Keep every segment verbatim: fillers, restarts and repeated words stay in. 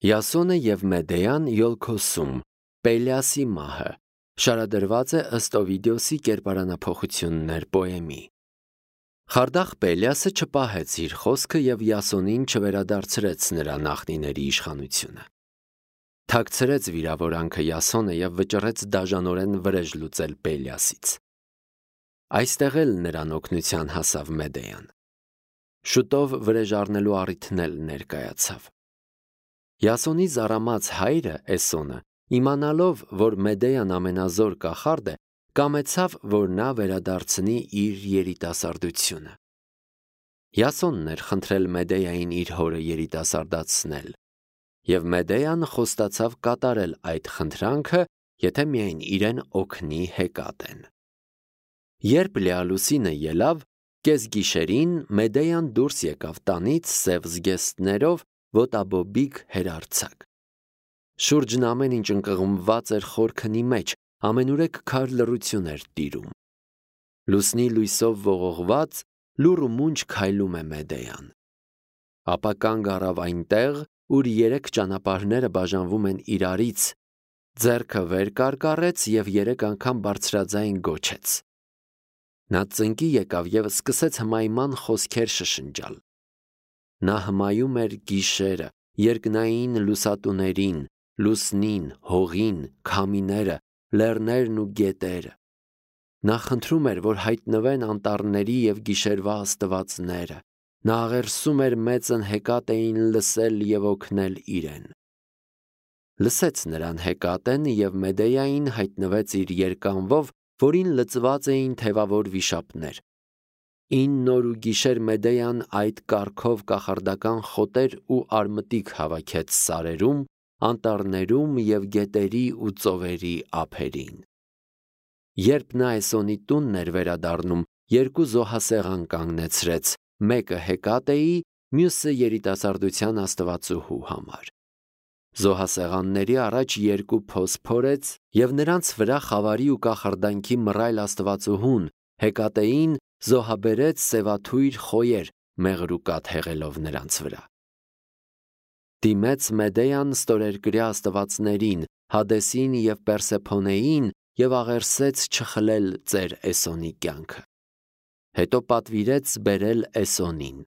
Յասոնը և Մեդեան Յոլքոսում, Պելեասի մահը, շարադրված է ըստ Օվիդիոսի կերպարանափոխություններ պոեմի։ Խարդախ Պելեասը չպահեց իր խոսքը և Յասոնին չվերադարձրեց նրա նախնիների իշխանությունը։ Թաքցրեց վիրավորանքը Յասոնը և վճռեց դաժանորեն վրեժ լուծել Պելեասից։ Այստեղ էլ նրան օգնության հասավ Մեդեան։ Շուտով վրեժ առնելու առիթն էլ ներկայացավ։ Յասոնի զարամած հայրը Էսոնը, իմանալով, որ Մեդեան ամենազոր կախարդ է, կամեցավ, որ նա վերադարձնի իր երիտասարդությունը։ Յասոնն էր խնդրել Մեդեային իր հորը երիտասարդացնել, և Մեդեան խոստացավ կատարել այդ խնդրանքը, եթե միայն իրեն օգնի Հեկատեն։ Երբ լիալուսինը ելավ, կեսգիշերին Մեդեան դուրս եկավ տանից սև զգեստներով, ոտաբոբիկ հերարձակ։ Շուրջն ամեն ինչ ընկղմված էր խոր քնի մեջ, ամենուրեք քար լռություն էր տիրում։ Լուսնի լույսով ողողված, լուռ ու մունջ քայլում է Մեդեան։ Ապա կանգ առավ այնտեղ, ուր երեք ճանապարհները բաժանվում են իրարից, ձեռքը վեր կարկառեց և երեք անգամ բարձրաձայն գոչեց։ Նա ծնկի եկավ և սկսեց հմայման խոսքեր շշնջալ։ Նա հմայում էր գիշերը, երկնային լուսատուներին, լուսնին, հողին, քամիները, լեռներն ու գետերը։ Նա խնդրում էր, որ հայտնվեն անտառների և գիշերվա աստվածները։ Նա աղերսում էր մեծն Հեկատեին լսել և օգնել իրեն։ Լսեց նրան Հեկատեն և Մեդեային հայտնվեց իր երկանվով, որին լծված էին թևավոր վիշապներ։ Ինն օր ու գիշեր Մեդեան այդ կառքով կախարդական խոտեր ու արմտիկ հավաքեց սարերում, անտառներում և գետերի ու ծովերի ափերին։ Երբ նա Էսոնի տունն էր վերադառնում, երկու զոհասեղան կանգնեցրեց, մեկը Հեկատեի, մյուսը երիտասարդության աստվածուհու համար։ Զոհասեղանների առաջ երկու փոս փորեց և նրանց վրա խավարի ու կախարդանքի մռայլ աստվածուհուն, Հեկատեին, զոհաբերեց սևաթույր խոյեր, մեղրուկատ հեղելով նրանց վրա։ Դիմեց Մեդեան ստորերկրյա աստվածներին, Հադեսին և Պերսեփոնեին և աղերսեց չխլել ծեր Էսոնի կյանքը։ Հետո պատվիրեց բերել Էսոնին։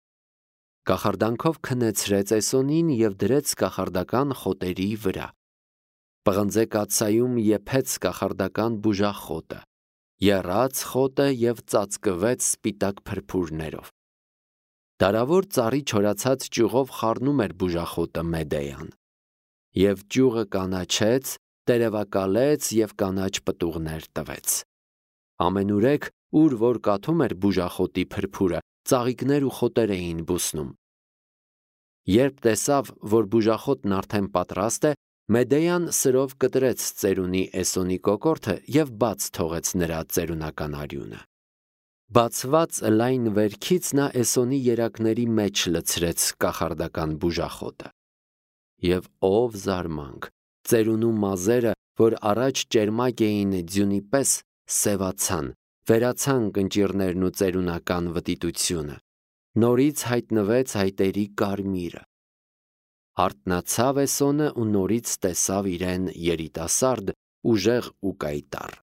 Կախարդանքով քնեցրեց Էսոնին և դրեց կախարդական խոտերի վրա։ Պղնձե կաթսայում եփեց կախարդական բուժախոտը, եռաց խոտը և ծածկվեց սպիտակ փրփուրներով։ Դարավոր ծառի չորացած ճյուղով խառնում էր բուժախոտը Մեդեան։ Եվ ճյուղը կանաչեց, տերևակալեց և կանաչ պտուղներ տվեց։ Ամենուրեք, ուր որ կաթում էր բուժախոտի փրփուրը, ծաղիկներ ու խոտեր էին բուսնում։ Երբ տեսավ, որ բուժախոտն արդեն պատրաստ է, Մեդեան սրով կտրեց ծերունի Էսոնի կոկորդը և բաց թողեց նրա ծերունական արյունը։ Բացված լայն վերքից նա Էսոնի երակների մեջ լցրեց կախարդական բուժախոտը։ Եվ ով զարմանք, ծերունու մազերը, որ առաջ ճերմակ էին ձյունի պես, սևացան, վերացան կնճիռներն ու ծերունական վտիտությունը։ Նորից հայտնվեց հայտերի կարմիրը։ Արթնացավ Էսոնը ու նորից տեսավ իրեն երիտասարդ, ուժեղ ու կայտառ։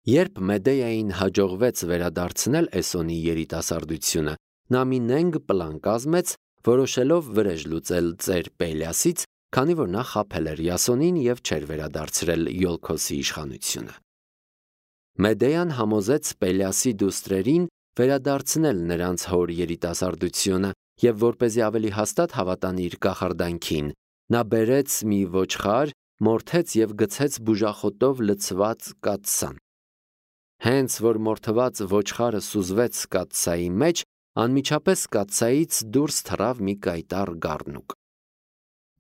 Երբ Մեդեային հաջողվեց վերադարձնել Էսոնի երիտասարդությունը, նա մի նենգ պլան կազմեց, որոշելով վրեժ լուծել ծեր Պելեասից, քանի որ նա խաբել էր Յասոնին և չէր վերադարձրել Յոլքոսի իշխանությունը։ Մեդեան համոզեց Պելեասի դուստրերին վերադարձնել նրանց հոր երիտասարդությունը և որպեսզի ավելի հաստատ հավատան իր կախարդանքին, նա բերեց մի ոչխար, մորթեց և գցեց բուժախոտով լցված կաթսան։ Հենց որ մորթված ոչխարը սուզվեց կաթսայի մեջ, անմիջապես կաթսայից դուրս թռավ մի կայտառ գառնուկ։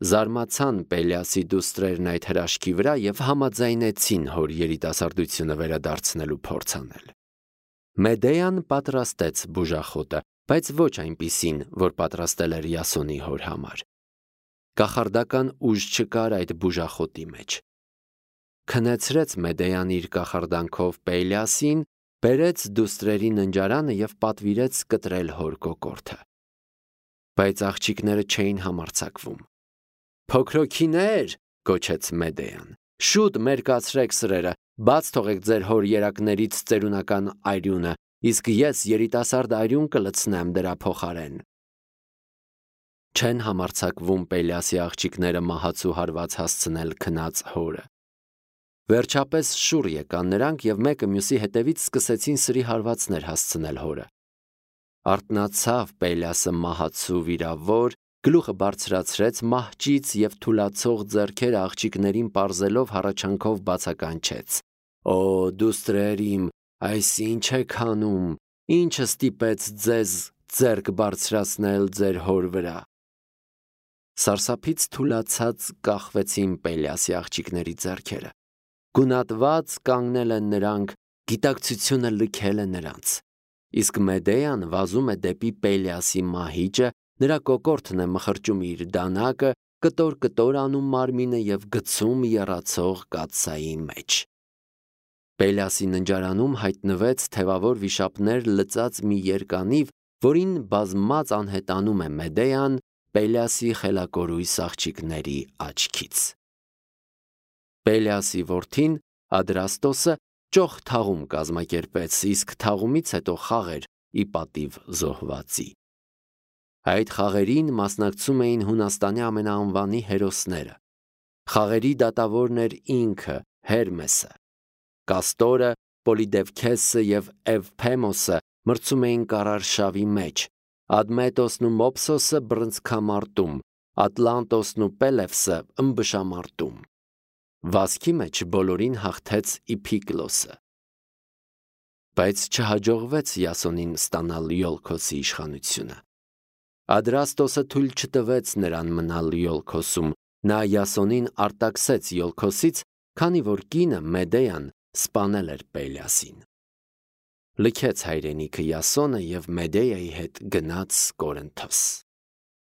Զարմացան Պելեասի դուստրերն այդ հրաշքի վրա և համաձայնեցին հոր երիտասարդությունը վերադարձնելու փորձ անել։ Մեդեան պատրաստեց բուժախոտը, բայց ոչ այնպիսին, որ պատրաստել էր Յասոնի հոր համար։ Կախարդական ուժ չկար այդ բուժախոտի մեջ։ Քնեցրեց Մեդեան իր կախարդանքով Պելեասին, բերեց դուստրերի ննջարանը և պատվիրեց կտրել հոր կոկորդը։ Բայց աղջիկները չէին համարձակվում։ Փոքրոքիներ, գոչեց Մեդեան, շուտ մերկացրեք սրերը, բաց թողեք ձեր հոր երակներից ծերունական արյունը, իսկ ես երիտասարդ արյուն կլցնեմ դրա փոխարեն։ Չեն համարձակվում Պելիասի աղջիկները մահացու հարված հասցնել քնած հորը։ Վերջապես շուռ եկան նրանք և մեկը մյուսի հետևից սկսեցին սրի հարվածներ հասցնել հորը։ Արթնացավ Պելիասը մահացու վիրավոր, գլուխը բարձրացրեց մահճից և թուլացող ձեռքերը աղջիկներին պարզելով հառաչանքով բացականչեց. «Օ, դուստրեր իմ, այս ինչ եք անում, ինչը ստիպեց ձեզ ձեռք բարձրացնել ձեր հոր վրա»։ Սարսափից թուլացած կախվեցին Պելիասի աղջիկների ձեռքերը։ Գունատված կանգնել են նրանք, գիտակցությունը լքել է նրանց։ Իսկ Մեդեան վազում է դեպի Պելիասի մահիճը, նրա կոկորդն է մխրճում իր դանակը, կտոր-կտոր անում մարմինը և գցում եռացող կաթսայի մեջ։ Պելիասի ննջարանում հայտնվեց թևավոր վիշապներ լծած մի երկանիվ, որին բազմած անհետանում է Մեդեան Պելիասի խելակորույս աղջիկների աչքից։ Պելիասի որդին Ադրաստոսը ճոխ թաղում կազմակերպեց, իսկ թաղումից հետո խաղեր ի պատիվ զոհվածի։ Այդ խաղերին մասնակցում էին Հունաստանի ամենաանվանի հերոսները։ Խաղերի դատավորն էր ինքը Հերմեսը։ Կաստորը, Պոլիդևքեսը և Էվփեմոսը մրցում էին կարարշավի մեջ, Ադմետոսն ու Մոպսոսը բռնցքամարտում, Ատլանտոսն ու Պելևսը ըմբշամարտում։ Վազքի մեջ բոլորին հաղթեց Իփիկլոսը։ Բայց չհաջողվեց Յասոնին ստանալ Յոլքոսի իշխանությունը։ Ադրաստոսը թույլ չտվեց նրան մնալ Յոլքոսում, նա Յասոնին արտաքսեց Յոլքոսից, քանի որ կինը Մեդեան սպանել էր Պելիասին։ Լքեց հայրենիքը Յասոնը և Մեդեայի հետ գնաց Կորինթոս։